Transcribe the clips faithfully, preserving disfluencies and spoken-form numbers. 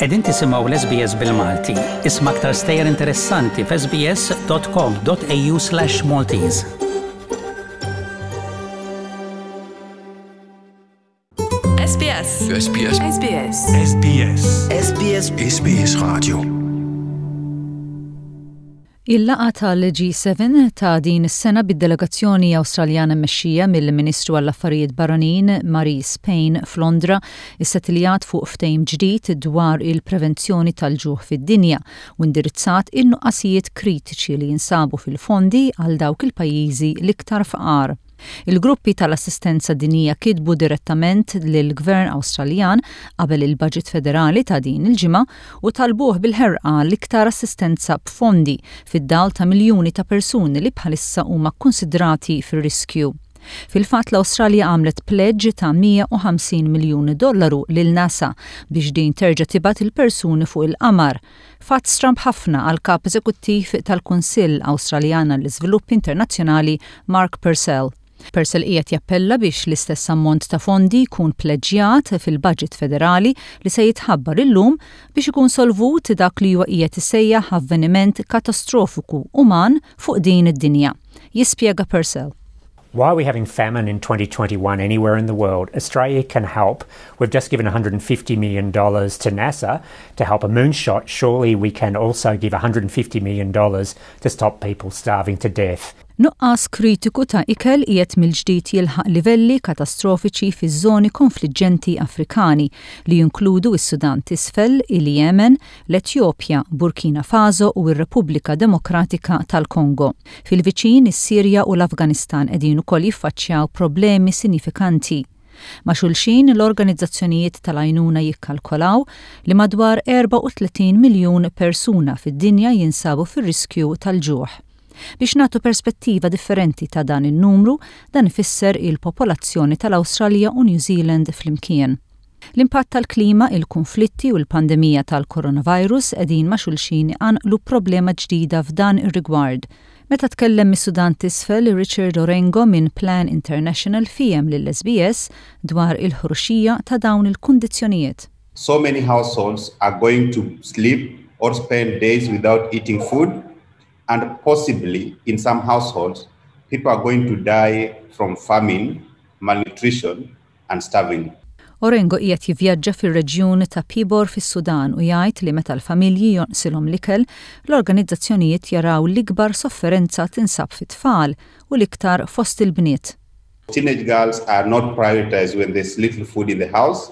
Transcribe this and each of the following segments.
Qegħdin tisimgħu l-S B S bil-Malti. Isma' aktar stejjer interessanti f'S B S dot com dot A U slash Maltese. S B S. S B S. S B S. S B S. S B S. S B S Radio. Il-laqgħa tal-G seba ta' din is-sena bid-delegazzjoni Awstraljana mmexxija mill-Ministru għall-Affarijiet Barranin Marise Payne f'Londra issettiljat fuq ftehim ġdid dwar il-prevenzjoni tal-ġuħ fid-dinja u indirizzat in-nuqqasijiet kritiċi li jinsabu fil-fondi għal dawk il-pajjiżi l-iktar fqar. Il-gruppi tal-assistenza dinjija kitbu direttament lill-Gvern Awstraljan qabel il-Budget Federali ta' din il-ġimgħa u talbuh bil-ħerqa l-iktar assistenza b'fondi fid-dawl ta' miljuni ta' persuni li bħalissa huma konsidrati fir-riskju. Fil-fatt, l-Awstralja għamlet pledge ta' mija u ħamsin miljun dollaru lil NASA biex din terġa' tibgħat il-persuni fuq il-qamar. Fatt stramb ħafna għal kap eżekuttiv tal-Kunsill Awstraljan għall-Iżvilupp Internazzjonali, Mark Purcell. Purcell qiegħed jappella biex l-istess ammont ta' fondi jkun pleġġjat fil-budget federali li se jitħabbar illum biex ikun solvut dak li huwa qiegħed isejjaħ avveniment katastrofiku uman fuq din id-dinja. Jispjega Purcell. Why are we having famine in twenty twenty-one anywhere in the world? Australia can help. We've just given one hundred fifty million dollars to NASA to help a moonshot. Surely we can also give one hundred fifty million dollars to stop people starving to death. Nuqqas kritiku ta' ikel qiegħed mill-ġdid jilħaq livelli katastrofiċi fiż-żoni konfliġġenti Afrikani li jinkludu s-Sudan t'Isfel, il-Yemen, l-Etjopja, Burkina Faso u r-Repubblika Demokratika tal-Kongo. Fil-viċin, is-Sirja u l-Afganistan qegħdin ukoll jiffaċċjaw problemi sinifikanti. Ma' xulxin, l-organizzazzjonijiet tal-għajnuna jikkalkolaw li madwar erbgħa u tletin miljun persuna fid-dinja jinsabu fir-riskju tal-ġuħ. Biex nagħtu perspettiva differenti ta' dan in-numru, dan ifisser il-popolazzjoni tal-Awstralja u New Zealand flimkien. L-impatt tal-klima, il-konflitti u l-pandemija tal-coronavirus qegħdin ma' xulxin iqanqlu problema ġdida f'dan ir-rigward. Meta tkellem mis-Sudan t'Isfel, Richard Orengo minn Plan International fiehem lill-S B S dwar il-ħruxija ta' dawn il-kundizzjonijiet. So many households are going to sleep or spend days without eating food, and possibly in some households, people are going to die from famine, malnutrition, and starving. Orengo qiegħed jivvjaġġa fir-reġjun ta' Pibor fis-Sudan u jgħid li meta l-familji jonqsilhom l-ikel, l-organizzazzjonijiet jaraw l-ikbar sofferenza tinsab fit-tfal u l-iktar fost il-bniet. Teenage girls are not prioritized when there's little food in the house.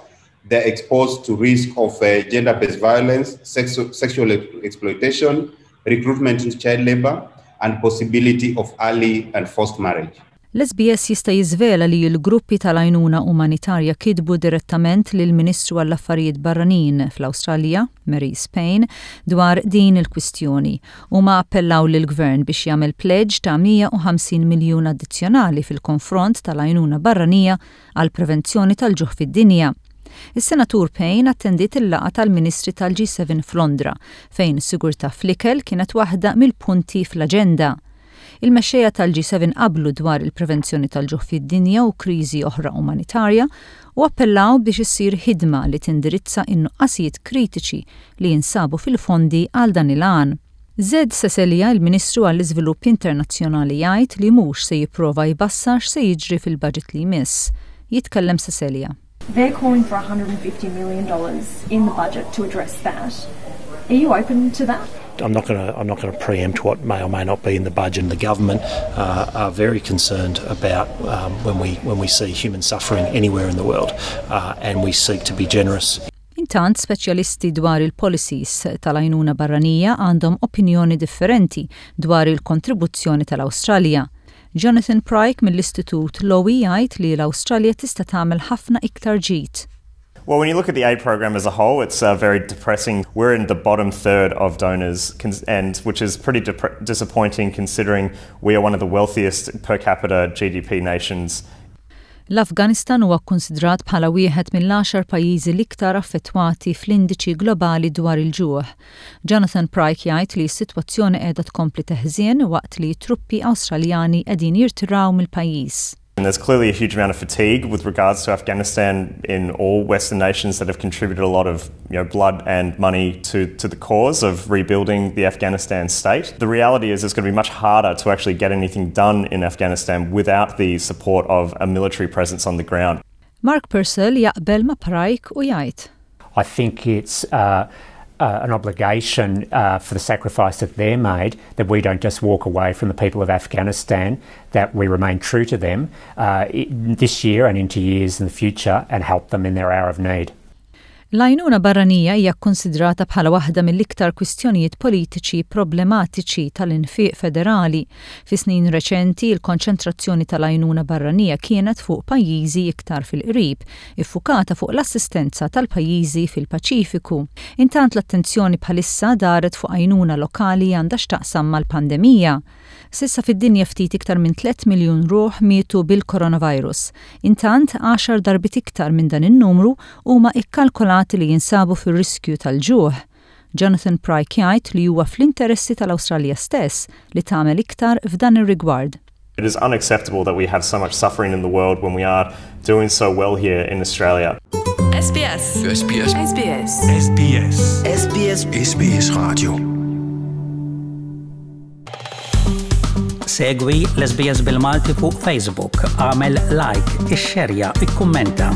They're exposed to risk of uh, gender-based violence, sexu- sexual exploitation, recruitment into child labor, and possibility of early and forced marriage. L-S B S jista' jiżvela li l-gruppi tal-għajnuna umanitarja kitbu direttament lill-Ministru għall-Affarijiet Barranin fl-Awstralja, Marise Payne, dwar din il-kwistjoni. Huma appellaw lill-gvern biex jagħmel pledge ta' mija u ħamsin miljun addizzjonali fil-konfront tal-għajnuna barranija għal prevenzjoni tal-ġuħ fid-dinja. Is-Senatur Payne attendiet il-laqgħa tal-Ministri tal-G seba f'Londra, fejn sigurtà fl-ikel kienet waħda mill-punti fl-aġenda. Il-mexxejja tal-G seba qablu dwar il-prevenzjoni tal-ġuħ fid-dinja u kriżi oħra umanitarja u appellaw biex issir ħidma li tindirizza in-nuqqasijiet kritiċi li jinsabu fil-fondi għal dan il-għan. Zed Seselja, il-Ministru għall-Iżvilupp Internazzjonali, jgħid li mhux se jipprova jbassar x'se jiġri fil-budget li jmiss. Jitkellem Seselja. They're calling for one hundred fifty million dollars in the budget to address that. Are you open to that? I'm not going to I'm not going to preempt what may or may not be in the budget. And the government uh, are very concerned about um, when we when we see human suffering anywhere in the world, uh, and we seek to be generous. Intant, speċjalisti dwar il-policies tal-għajnuna barranija għandhom opinjoni differenti dwar il-kontribuzzjoni tal-Awstralja. Jonathan Pryke mill-Istitut Lowy jgħid li l-Awstralja tista' tagħmel ħafna iktar ġid. Well, when you look at the aid program as a whole, it's uh, very depressing. We're in the bottom third of donors, and which is pretty dep- disappointing considering we are one of the wealthiest per capita G D P nations. L-Afganistan huwa kkonsidrat bħala wieħed mill-għaxar pajjiżi l-iktar affettwati fl-indiċi globali dwar il-ġuħ. Jonathan Pryke jgħid li s-sitwazzjoni qiegħda tkompli teħżien waqt li truppi Awstraljani qegħdin jirtiraw mill-pajjiż. And there's clearly a huge amount of fatigue with regards to Afghanistan in all Western nations that have contributed a lot of you know, blood and money to, to the cause of rebuilding the Afghanistan state. The reality is it's going to be much harder to actually get anything done in Afghanistan without the support of a military presence on the ground. Mark Purcell jaqbel ma' Pryke u jgħid. I think it's uh, uh, an obligation uh, for the sacrifice that they made that we don't just walk away from the people of Afghanistan, that we remain true to them uh, this year and into years in the future and help them in their hour of need. L-għajnuna barranija hija kkonsidrata bħala waħda mill-iktar kwistjonijiet politiċi problematiċi tal-infiq federali. Fi snin reċenti, il-konċentrazzjoni tal-għajnuna barranija kienet fuq pajjiżi iktar fil-qrib, iffukata fuq l-assistenza tal-pajjiżi fil-Paċifiku. Intant l-attenzjoni bħalissa daret fuq għajnuna lokali għandha x'taqsam mal-pandemija. S'issa fid-dinja ftit iktar minn tliet miljun ruħ mietu bil-coronavirus. Intant, għaxar darbiet iktar minn dan in-numru huma ikkalkolati li jinsabu fir-riskju tal-ġuħ. Jonathan Pryke jgħid li huwa fl-interessi tal-Awstralja stess li tagħmel iktar f'dan ir-rigward. It is unacceptable that we have so much suffering in the world when we are doing so well here in Australia. S B S. S B S. S B S. S B S. S B S. S B S Radio. Segwi l-S B S bil-Malti fuq Facebook, għamel like, ixxerja, ikkummenta.